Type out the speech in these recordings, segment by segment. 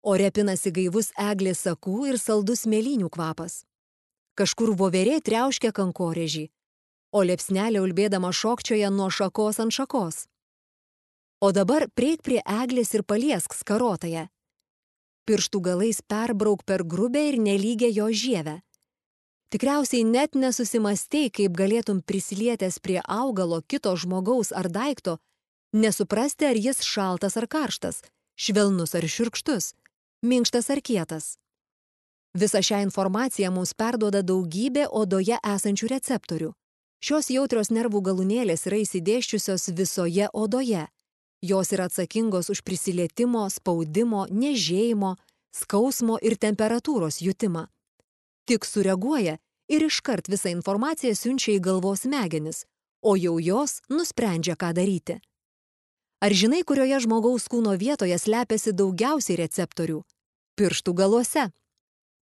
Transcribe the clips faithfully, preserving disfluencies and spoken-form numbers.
Ore pinasi gaivus eglės sakų ir saldus mėlynių kvapas. Kažkur voverė triauškia kankorėžį, o liepsnelė ulbėdama šokčioja nuo šakos ant šakos. O dabar prieik prie eglės ir paliesk skarotąją. Pirštų galais perbrauk per grubę ir nelygę jo žievę. Tikriausiai net nesusimastei, kaip galėtum prisilietęs prie augalo kito žmogaus ar daikto, nesuprasti, ar jis šaltas ar karštas, švelnus ar šiurkštus, minkštas ar kietas. Visą šią informaciją mums perduoda daugybė odoje esančių receptorių. Šios jautrios nervų galūnėlės yra įsidėsčiusios visoje odoje. Jos yra atsakingos už prisilietimo, spaudimo, niežėjimo, skausmo ir temperatūros jutimą. Tik sureaguoja ir iškart visą informaciją siunčia į galvos smegenis, o jau jos nusprendžia, ką daryti. Ar žinai, kurioje žmogaus kūno vietoje slepiasi daugiausiai receptorių? Pirštų galuose.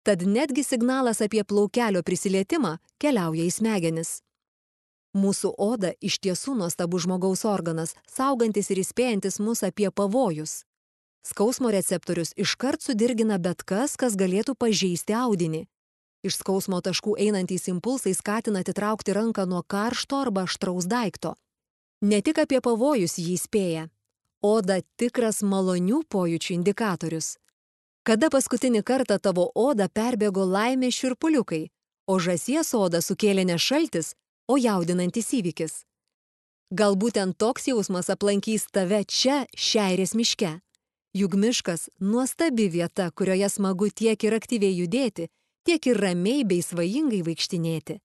Tad netgi signalas apie plaukelio prisilietimą keliauja į smegenis. Mūsų oda iš tiesų nuostabus žmogaus organas, saugantis ir įspėjantis mus apie pavojus. Skausmo receptorius iškart sudirgina bet kas, kas galėtų pažeisti audinį. Iš skausmo taškų einantys impulsai skatina atitraukti ranką nuo karšto arba aštraus daikto. Ne tik apie pavojus jį įspėja. Oda tikras malonių pojūčių indikatorius. Kada paskutinį kartą tavo odą perbėgo laimės šiurpuliukai, o žąsies odą sukėlė ne šaltis, o jaudinantis įvykis? Gal būtent toks jausmas aplankys tave čia, Šeirės miške. Juk miškas nuostabi vieta, kurioje smagu tiek ir aktyviai judėti, tiek ir ramiai bei svajingai vaikštinėti.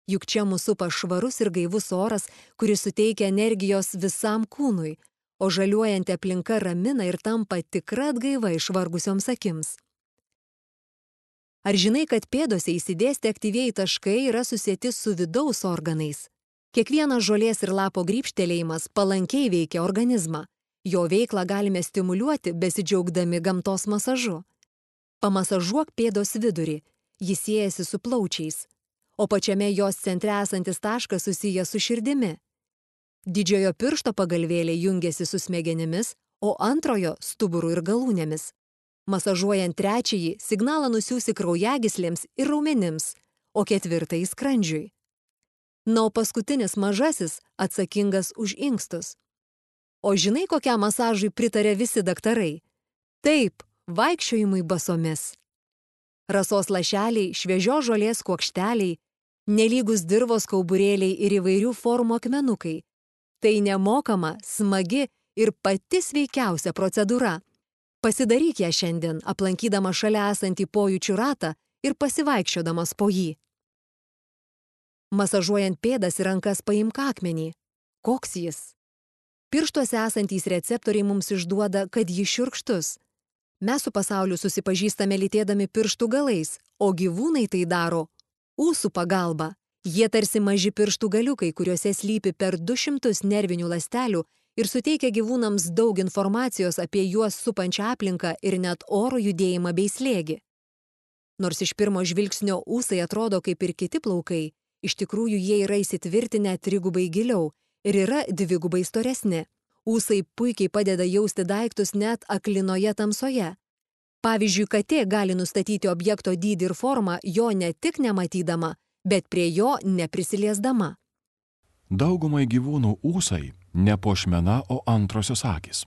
Juk čia mūsų supa švarus ir gaivus oras, kuris suteikia energijos visam kūnui, o žaliuojanti aplinka ramina ir tampa tikra atgaiva išvargusioms akims. Ar žinai, kad pėdose įsidėsti aktyvieji taškai yra susieti su vidaus organais? Kiekvienas žolės ir lapo grybštelėjimas palankiai veikia organizmą. Jo veiklą galime stimuliuoti, besidžiaugdami gamtos masažu. Pamasažuok pėdos vidurį, jis siejasi su plaučiais, o pačiame jos centre esantis taškas susijęs su širdimi. Didžiojo piršto pagalvėlė jungiasi su smegenimis, o antrojo stuburu ir galūnėmis. Masažuojant trečiąjį, signalą nusiųsi kraujagyslėms ir raumenims, o ketvirtąjį skrandžiui. Na, o paskutinis mažasis atsakingas už inkstus. O žinai, kokiam masažui pritarė visi daktarai? Taip, vaikščiojimui basomis. Rasos lašeliai, šviežios žolės kuokšteliai, nelygus dirvos kauburėliai ir įvairių formų akmenukai. Tai nemokama, smagi ir pati sveikiausia procedūra. Pasidaryk ją šiandien, aplankydama šalia esantį pojūčių ratą ir pasivaikščiodamas po jį. Masažuojant pėdas ir rankas paimk akmenį. Koks jis? Pirštuose esantys receptoriai mums išduoda, kad jis šiurkštus. Mes su pasauliu susipažįstame lytėdami pirštų galais, o gyvūnai tai daro ūsų pagalba. Jie tarsi maži pirštų galiukai, kuriuose slypi per du šimtus nervinių ląstelių ir suteikia gyvūnams daug informacijos apie juos supančią aplinką ir net oro judėjimą bei slėgį. Nors iš pirmo žvilgsnio ūsai atrodo kaip ir kiti plaukai, iš tikrųjų jie yra įsitvirtinę trigubai giliau ir yra dvigubai storesni. Ūsai puikiai padeda jausti daiktus net aklinoje tamsoje. Pavyzdžiui, katė gali nustatyti objekto dydį ir formą jo ne tik nematydama, bet prie jo neprisiliesdama. Daugumai gyvūnų ūsai ne puošmena, o antrosios akys.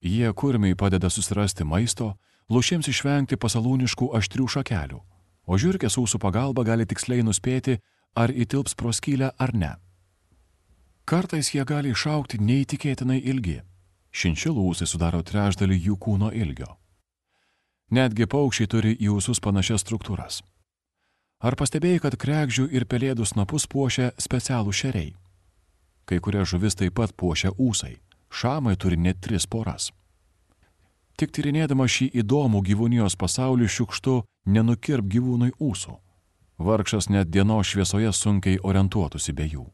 Jie kurmiai padeda susirasti maisto, lūšims išvengti pasalūniškų aštrių šakelių, o žiurkės ūsų pagalba gali tiksliai nuspėti, ar įtilps pro skylę ar ne. Kartais jie gali išaugti neįtikėtinai ilgi. Šinšilų ūsai sudaro trečdalį jų kūno ilgio. Netgi paukščiai turi į ūsus panašias struktūras. Ar pastebėjai, kad kregždžių ir pelėdų snapus puošia specialų šeriai? Kai kurie žuvis taip pat puošia ūsai. Šamai turi net tris poras. Tik tyrinėdama šį įdomų gyvūnijos pasaulį šiukštu nenukirp gyvūnui ūsų. Vargšas net dienos šviesoje sunkiai orientuotųsi be jų.